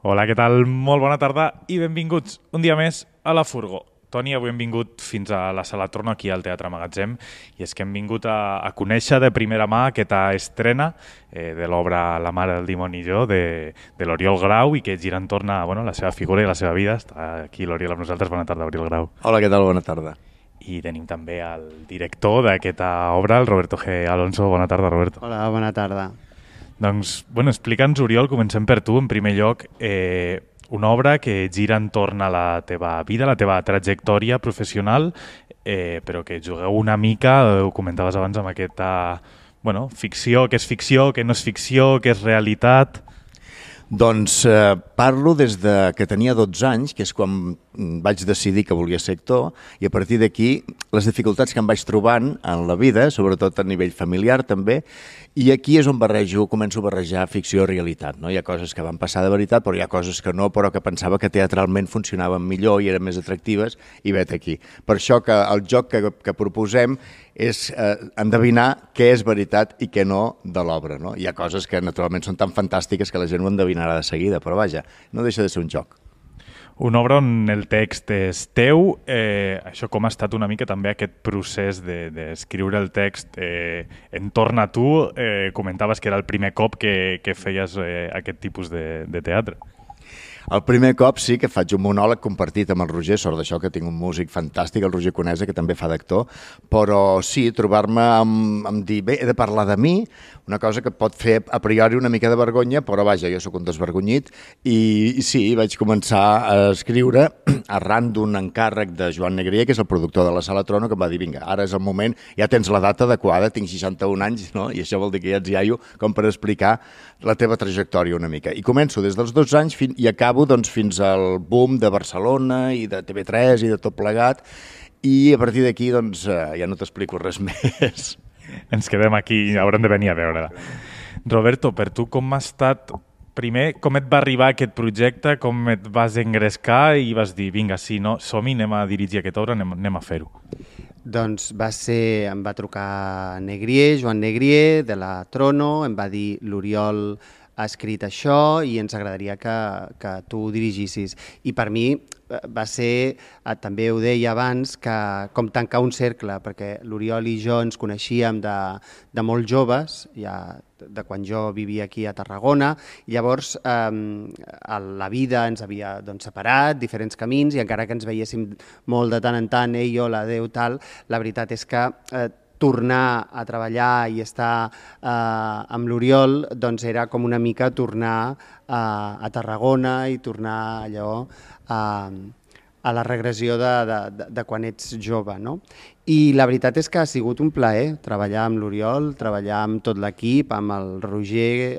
Hola, què tal? Molt bona tarda i benvinguts un dia més a La Furgó. Toni, avui hem vingut fins a la Sala Trono, aquí al Teatre Magatzem, i és que hem vingut a conèixer de primera mà aquesta estrena de l'obra La mare del dimoni i jo, de l'Oriol Grau, i que gira entorn a la seva figura i la seva vida. Està aquí l'Oriol amb nosaltres. Bona tarda, Oriol Grau. Hola, què tal? Bona tarda. I tenim també el director d'aquesta obra, el Roberto G. Alonso. Bona tarda, Roberto. Hola, bona tarda. Doncs, explica'ns, Oriol, comencem per tu, en primer lloc, una obra que gira entorn a la teva vida, la teva trajectòria professional, però que jugueu una mica, ho comentaves abans, amb aquesta ficció, què és ficció, què no és ficció, què és realitat. Doncs parlo des de que tenia 12 anys, que és quan vaig decidir que volia ser actor, i a partir d'aquí les dificultats que em vaig trobant en la vida, sobretot a nivell familiar també, i aquí és on començo a barrejar ficció i realitat. No? Hi ha coses que van passar de veritat, però hi ha coses que no, però que pensava que teatralment funcionaven millor i eren més atractives, i vet aquí. Per això que el joc que proposem és endevinar què és veritat i què no de l'obra. No? Hi ha coses que naturalment són tan fantàstiques que la gent ho endevinarà de seguida, però vaja, no deixa de ser un joc. Una obra on el text és teu, això com ha estat una mica també aquest procés d'escriure el text entorn a tu, comentaves que era el primer cop que feies aquest tipus de teatre. El primer cop sí que faig un monòleg compartit amb el Roger, sort d'això que tinc un músic fantàstic, el Roger Conesa, que també fa d'actor, però sí, trobar-me amb dir, bé, he de parlar de mi, una cosa que pot fer a priori una mica de vergonya, però vaja, jo sóc un desvergonyit, i sí, vaig començar a escriure arran d'un encàrrec de Joan Negrier, que és el productor de la Sala Trono, que em va dir, vinga, ara és el moment, ja tens la data adequada, tinc 61 anys, no? I això vol dir que ja ets iaio com per explicar la teva trajectòria una mica. I començo des dels 12 anys i acabo fins al boom de Barcelona i de TV3 i de tot plegat, i a partir d'aquí ja no t'explico res més. Ens quedem aquí, haurem de venir a veure-la. Roberto, per tu com ha estat, primer, com et va arribar aquest projecte, com et vas engrescar i vas dir, vinga, sí, no, som-hi, anem a dirigir aquesta obra, anem a fer-ho? Doncs em va trucar Negrier, Joan Negrier, de la Trono, em va dir l'Oriol ha escrit això i ens agradaria que tu ho dirigissis. I per mi va ser, també ho deia abans, com tancar un cercle, perquè l'Oriol i jo ens coneixíem de molt joves, ja de quan jo vivia aquí a Tarragona, i llavors la vida ens havia separat, diferents camins, i encara que ens veiéssim molt de tant en tant, jo, l'adeu, tal, la veritat és que tornar a treballar i estar amb l'Oriol era com una mica tornar a Tarragona i tornar allò a la regressió de quan ets jove, no? I la veritat és que ha sigut un plaer treballar amb l'Oriol, treballar amb tot l'equip, amb el Roger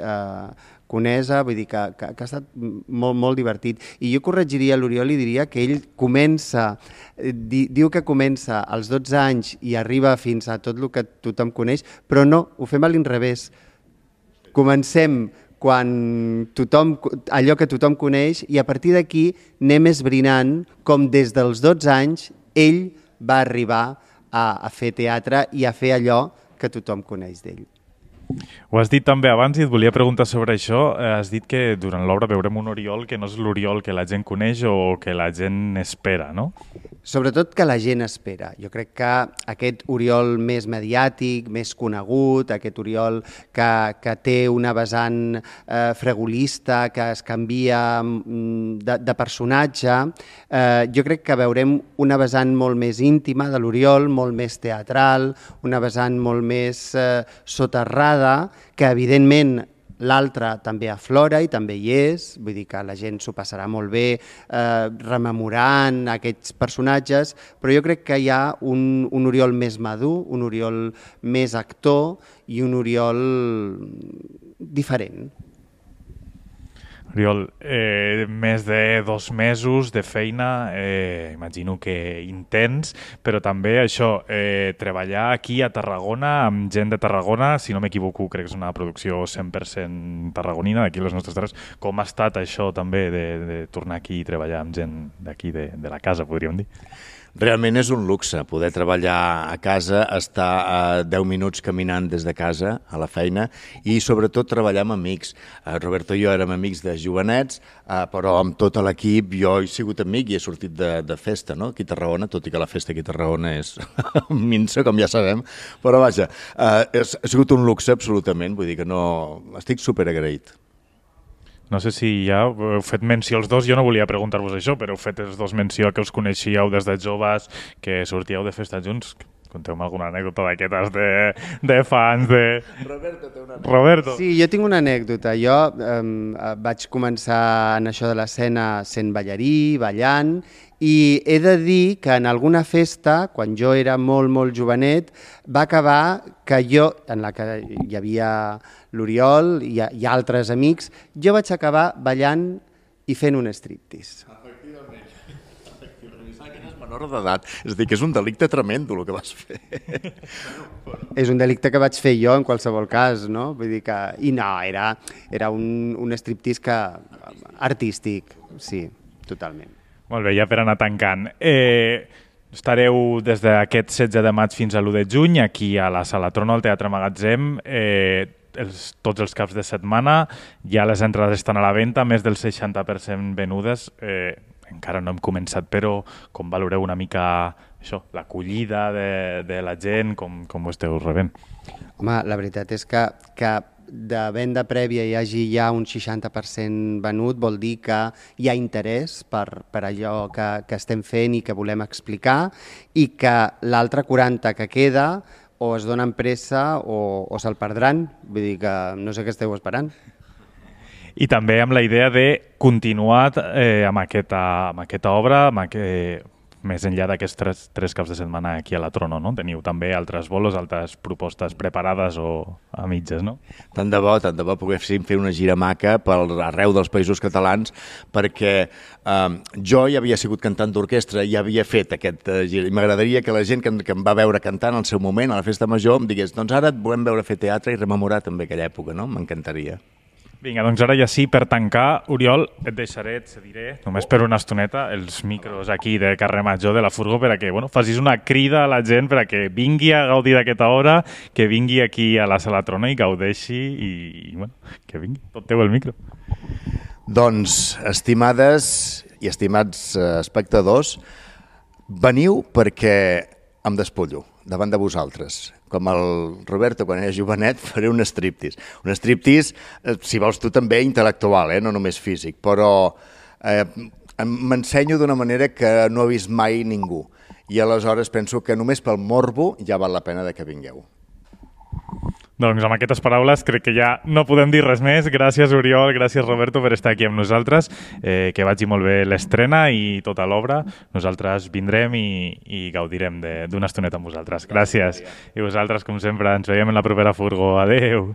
Conesa, vull dir que ha estat molt, molt divertit. I jo corregiria l'Oriol i diria que ell diu que comença als 12 anys i arriba fins a tot el que tothom coneix, però no, ho fem a l'inrevés. Comencem allò que tothom coneix i a partir d'aquí anem esbrinant com des dels 12 anys ell va arribar a fer teatre i a fer allò que tothom coneix d'ell. Ho has dit també abans i et volia preguntar sobre això. Has dit que durant l'obra veurem un Oriol que no és l'Oriol que la gent coneix o que la gent espera, no? Sobretot que la gent espera. Jo crec que aquest Oriol més mediàtic, més conegut, aquest Oriol que té una vessant fregolista, que es canvia de personatge, jo crec que veurem una vessant molt més íntima de l'Oriol, molt més teatral, una vessant molt més soterrada, que evidentment l'altre també aflora i també hi és, vull dir que la gent s'ho passarà molt bé rememorant aquests personatges, però jo crec que hi ha un Oriol més madur, un Oriol més actor i un Oriol diferent. Oriol, més de 2 mesos de feina, imagino que intens, però també això, treballar aquí a Tarragona amb gent de Tarragona, si no m'equivoco, crec que és una producció 100% tarragonina, d'aquí les nostres terres. Com ha estat això també de tornar aquí i treballar amb gent d'aquí, de la casa, podríem dir? Realment és un luxe poder treballar a casa, estar a 10 minuts caminant des de casa a la feina i sobretot treballar amb amics. Roberto i jo érem amics de jovenets, però amb tot l'equip jo he sigut amic i he sortit de festa, no? Aquí a Tarragona, tot i que la festa aquí a Tarragona és minsa, com ja sabem, però vaja, ha sigut un luxe absolutament, vull dir que no... Estic superagraït. No sé si ja heu fet menció els dos, jo no volia preguntar-vos això, però heu fet els dos menció que us coneixíeu des de joves, que sortíeu de festa junts. Conteu-me alguna anècdota d'aquestes de fans de... Roberto té una anècdota. Roberto. Sí, jo tinc una anècdota. Jo vaig començar en això de l'escena sent ballarí, ballant, i he de dir que en alguna festa, quan jo era molt, molt jovenet, va acabar que jo, en la que hi havia l'Oriol i altres amics, jo vaig acabar ballant i fent un striptease. Menor d'edat, és a dir, que és un delicte tremendo el que vas fer. És un delicte que vaig fer jo en qualsevol cas, no? Vull dir que... I no, era un striptease artístic, sí, totalment. Molt bé, ja per anar tancant. Estareu des d'aquest 16 de maig fins a l'1 de juny aquí a la Sala Trono, al Teatre Magatzem, tots els caps de setmana, ja les entrades estan a la venda, més del 60% venudes, encara no hem començat, però com valoreu una mica això, l'acollida de la gent, com ho esteu rebent? Home, la veritat és que de venda prèvia hi hagi ja un 60% venut, vol dir que hi ha interès per allò que estem fent i que volem explicar, i que l'altre 40% que queda o es donen pressa o se'l perdran. Vull dir que no sé què esteu esperant. I també amb la idea de continuar amb aquesta obra, més enllà d'aquests tres caps de setmana aquí a la Trono, no? Teniu també altres bolos, altres propostes preparades o a mitges, no? Tant de bo poguéssim fer una gira maca per arreu dels països catalans, perquè jo ja havia sigut cantant d'orquestra i havia fet aquest gir. I m'agradaria que la gent que em va veure cantant al seu moment, a la festa major, em digués, doncs ara et volem veure fer teatre i rememorar també aquella època, no? M'encantaria. Vinga, doncs ara ja sí, per tancar, Oriol, et deixaré, et cediré, només per una estoneta, els micros aquí de carrer Major de la Furgo perquè facis una crida a la gent perquè vingui a gaudir d'aquesta hora, que vingui aquí a la Sala Trono i gaudeixi i que vingui, tot teu el micro. Doncs, estimades i estimats espectadors, veniu perquè em despullo davant de vosaltres. Com el Roberto, quan era jovenet, faré un striptease. Un striptease, si vols tu també, intel·lectual, no només físic, però m'ensenyo d'una manera que no ha vist mai ningú. I aleshores penso que només pel morbo ja val la pena que vingueu. Doncs amb aquestes paraules crec que ja no podem dir res més. Gràcies, Oriol, gràcies, Roberto, per estar aquí amb nosaltres. Que vagi molt bé l'estrena i tota l'obra. Nosaltres vindrem i gaudirem d'una estoneta amb vosaltres. Gràcies. I vosaltres, com sempre, ens veiem en la propera Furgo. Adéu.